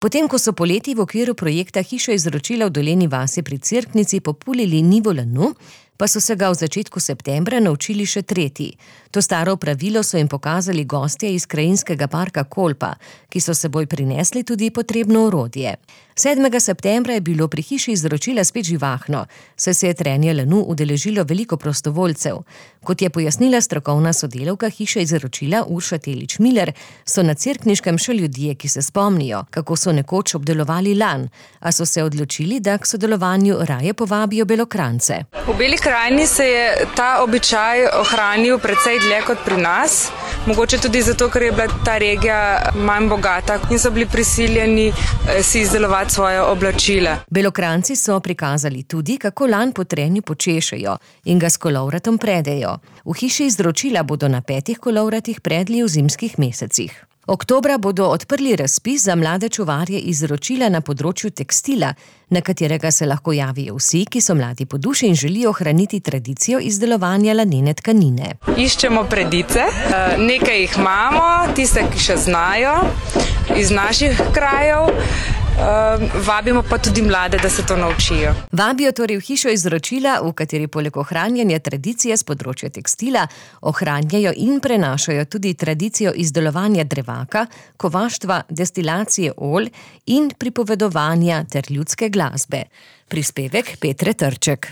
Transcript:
Potem, ko so poleti v okviru projekta Hiša izročila v Dolenji vasi pri Cerknici populili nivo lanu, pa so se ga v začetku septembra naučili še tretji. To staro pravilo so jim pokazali gostje iz krajinskega parka Kolpa, ki so seboj prinesli tudi potrebno orodje. 7. septembra je bilo pri Hiši izročila spet živahno, saj se je trenje lanu udeležilo veliko prostovoljcev. Kot je pojasnila strokovna sodelavka Hiše izročila Urša Telič-Miller, so na Cerkniškem še ljudje, ki se spomnijo, kako so nekoč obdelovali lan, a so se odločili, da k sodelovanju raje povabijo Belokrajnce. V Beli krajini se je ta običaj ohranil precej dlje kot pri nas, mogoče tudi zato, ker je bila ta regija manj bogata in so bili prisiljeni si izdelovati svoje oblačila. Belokranjci so prikazali tudi, kako lan po trenju počešejo in ga s kolovratom predejo. V Hiši izročila bodo na 5 kolovratih predli v zimskih mesecih. Oktobra bodo odprli razpis za mlade čuvarje izročila na področju tekstila, na katerega se lahko javijo vsi, ki so mladi po duši in želijo ohraniti tradicijo izdelovanja lanene tkanine. Iščemo predice, nekaj jih imamo, tiste, ki še znajo iz naših krajev. Vabimo pa tudi mlade, da se to naučijo. Vabijo torej v Hišo izročila, v kateri poleg ohranjanja tradicije z področja tekstila ohranjajo in prenašajo tudi tradicijo izdelovanja drevaka, kovaštva, destilacije olj in pripovedovanja ter ljudske glasbe. Prispevek Petre Trček.